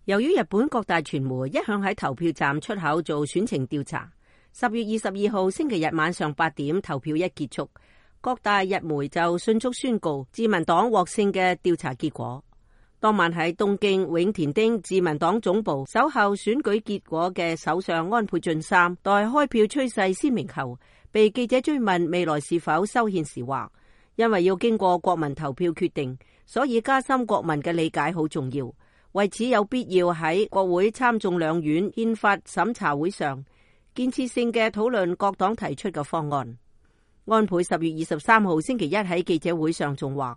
由於日本各大傳媒一向喺投票站出口做選情調查，10月22號星期日晚上8點投票一結束，各大日媒就迅速宣告自民黨獲勝嘅調查結果。當晚喺東京永田町自民黨總部守候選舉結果嘅首相安倍晉三，待開票趨勢鮮明後，被記者追問未來是否修憲時話，因為要經過國民投票決定，所以加深國民嘅理解好重要。為此有必要喺國會參眾兩院憲法審查會上建設性嘅討論各黨提出嘅方案。安倍10月23號星期一喺記者會上仲話，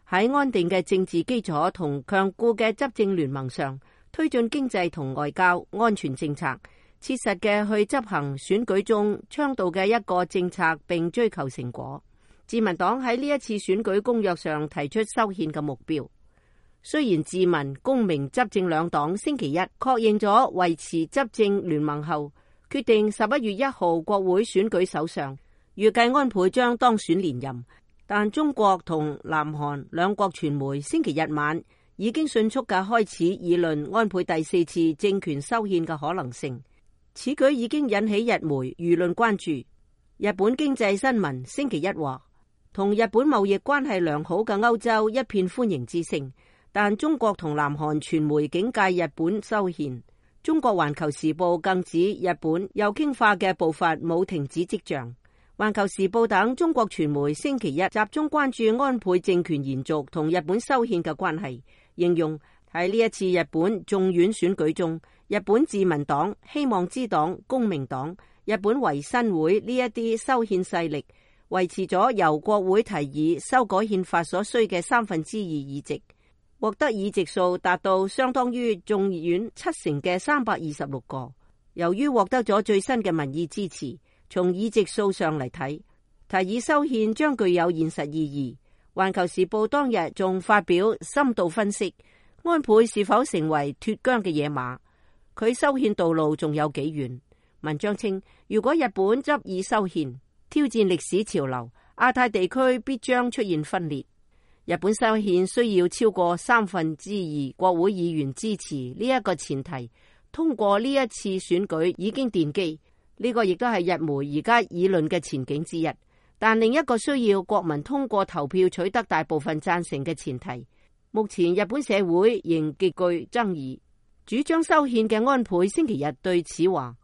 喺安定嘅政治基礎同強固嘅執政聯盟上，推進經濟同外交安全政策，切實嘅去執行選舉中倡導嘅一個政策，並追求成果。自民黨喺呢一次選舉公約上提出修憲嘅目標。雖然自民、公明執政兩黨星期一確認咗維持執政聯盟後，決定11月1號國會選舉首相，預計安倍將當選連任，但中國同南韓兩國傳媒星期日晚已經迅速嘅開始議論安倍第4次政權修憲嘅可能性。此舉已經引起日媒輿論關注。日本經濟新聞星期一話，同日本貿易關係良好嘅歐洲一片歡迎之聲。但中國同南韓傳媒警戒日本修憲，中國環球時報更指日本右傾化嘅步伐冇停止跡象。環球時報等中國傳媒星期一集中關注安倍政權延續同日本修憲嘅關係，形容喺呢一次日本眾院選舉中，日本自民黨、希望之黨、公明黨、日本維新會呢一啲修憲勢力維持咗由國會提議修改憲法所需嘅2/3議席，獲得議席數達到相當於眾院70%嘅326個。由於獲得咗最新嘅民意支持，從議席數上嚟睇，提議修憲將具有現實意義。環球時報當日仲發表深度分析，安倍是否成為脫韁嘅野馬，佢修憲道路仲有幾遠。文章稱，如果日本執意修憲，挑戰歷史潮流，亞太地區必將出現分裂。日本修憲需要超過2/3國會議員支持，呢一個前提通過呢一次選舉已經奠基，呢個亦都係日媒而家議論嘅前景之一。但另一個需要國民通過投票取得大部分贊成嘅前提，目前日本社會仍極具爭議。主張修憲嘅安倍星期日對此話，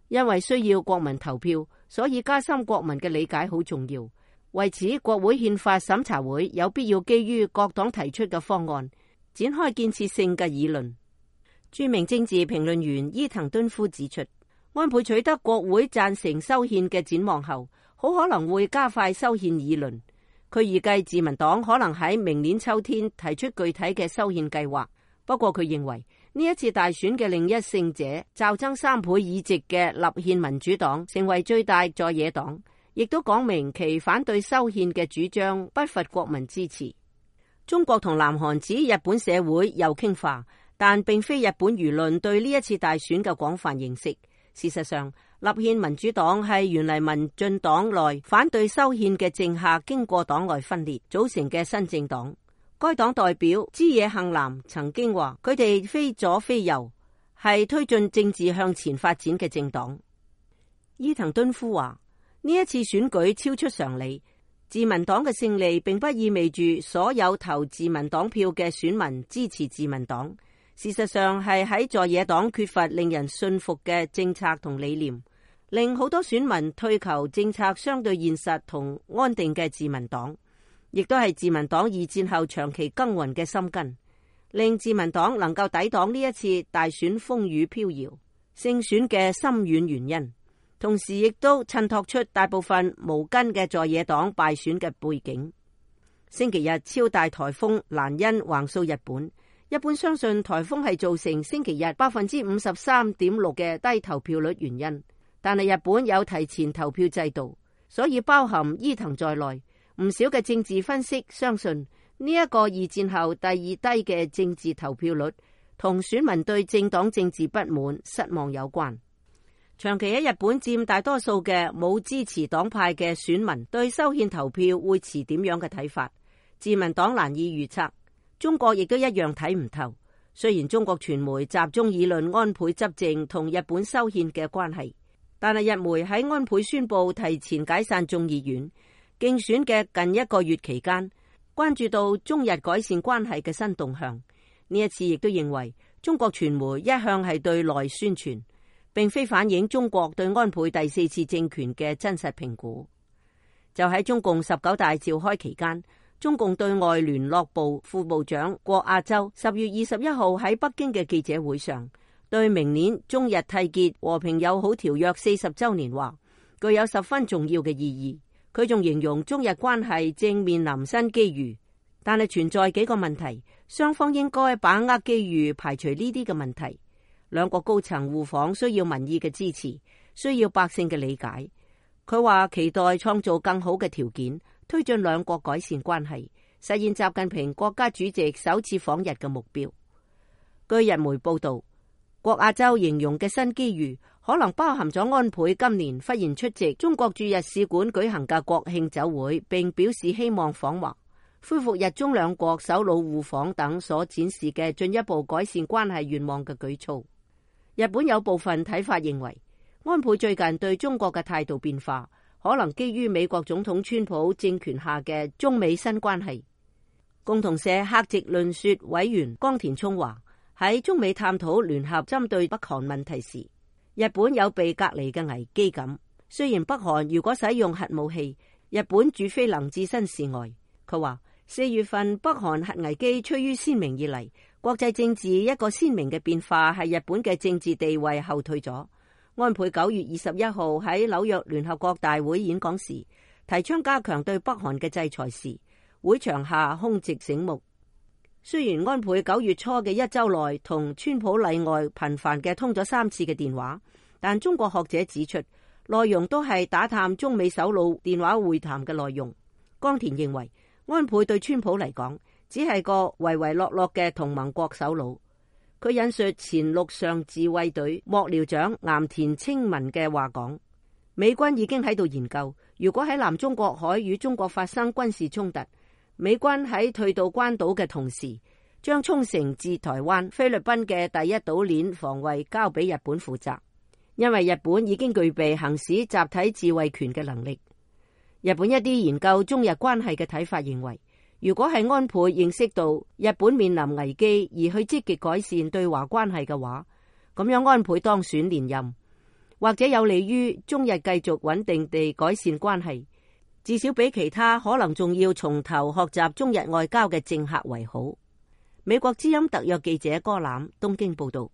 因為需要國民投票，所以加深國民嘅理解好重要。為此，國會憲法審查會有必要基於各黨提出嘅方案，展開建設性嘅議論。著名政治評論員伊藤敦夫指出，安倍取得國會贊成修憲嘅展望後，好可能會加快修憲議論。佢預計自民黨可能喺明年秋天提出具體嘅修憲計劃。不過佢認為呢一次大選嘅另一勝者，驟增3倍議席嘅立憲民主黨成為最大在野黨，亦都講明其反對修憲嘅主張不乏國民支持。中國同南韓指日本社會右傾化，但並非日本輿論對呢一次大選嘅廣泛認識。事實上，立憲民主黨係原嚟民進黨內反對修憲嘅政客經過黨內分裂組成嘅新政黨。該黨代表枝野幸男曾經話，佢哋非左非右，係推進政治向前發展嘅政黨。伊藤敦夫話，呢一次選舉超出常理，自民黨嘅勝利並不意味住所有投自民黨票嘅選民支持自民黨。事實上係喺在野黨缺乏令人信服嘅政策同理念，令好多選民退求政策相對現實同安定嘅自民黨，亦都係自民黨二戰後長期耕耘嘅心根，令自民黨能夠抵擋呢一次大選風雨飄搖勝選嘅深遠原因。同時亦都襯托出大部分無根嘅在野黨敗選嘅背景。星期日超大颱風蘭恩橫掃日本，一般相信颱風係造成星期日53.6%嘅低投票率原因。但係日本有提前投票制度，所以包含伊藤在內，唔少嘅政治分析相信呢一個二戰後第二低嘅政治投票率同選民對政黨政治不滿失望有關。長期喺日本佔大多數嘅冇支持黨派嘅選民對修憲投票會持點樣嘅睇法，自民黨難以預測。中國亦都一樣睇唔透。雖然中國傳媒集中議論安倍執政同日本修憲嘅關係，但係日媒喺安倍宣布提前解散眾議院競選嘅近1個月期間，關注到中日改善關係嘅新動向。呢一次亦都認為中國傳媒一向係對內宣傳，並非反映中國對安倍第4次政權嘅真實評估。就喺中共19大召開期間，中共對外聯絡部副部長郭亞洲10月21號喺北京嘅記者會上，對明年中日締結和平友好條約40週年話，具有十分重要嘅意義。佢仲形容中日關係正面臨新機遇，但係存在幾個問題，雙方應該把握機遇，排除呢啲嘅問題。兩國高層互訪需要民意嘅支持，需要百姓嘅理解。佢話期待創造更好嘅條件，推進兩國改善關係，實現習近平國家主席首次訪日嘅目標。據日媒報道，郭亞洲形容嘅新機遇可能包含咗安倍今年忽然出席中國駐日使館舉行嘅國慶酒會，並表示希望訪華，恢復日中兩國首腦互訪等所展示嘅進一步改善關係願望嘅舉措。日本有部分睇法認為，安倍最近對中國嘅態度變化，可能基於美國總統川普政權下嘅中美新關係。共同社客席論說委員岡田聰話，喺中美探討聯合針對北韓問題時，日本有被隔離嘅危機感。雖然北韓如果使用核武器，日本絕非能置身事外。佢話4月份北韓核危機趨於鮮明以嚟，國際政治一個鮮明嘅變化係日本嘅政治地位後退咗。安倍9月21號喺紐約聯合國大會演講時，提倡加強對北韓嘅制裁時，會場下空寂醒目。雖然安倍9月初嘅1周內同川普例外頻繁嘅通咗3次嘅電話，但中國學者指出，內容都係打探中美首腦電話會談嘅內容。岡田認為，安倍對川普嚟講，只係個唯唯諾諾嘅同盟國首腦。佢引述前陸上自衛隊幕僚長岩田清文嘅話講，美軍已經喺度研究，如果喺南中國海與中國發生軍事衝突，美軍喺退到關島嘅同時，將沖繩至台灣、菲律賓嘅第一島鏈防衛交俾日本負責，因為日本已經具備行使集體自衛權嘅能力。日本一啲研究中日關係嘅睇法認為，如果係安倍認識到日本面臨危機而去積極改善對華關係嘅話，咁樣安倍當選連任，或者有利於中日繼續穩定地改善關係，至少比其他可能仲要從頭學習中日外交嘅政客為好。美國之音特約記者柯欖東京報道。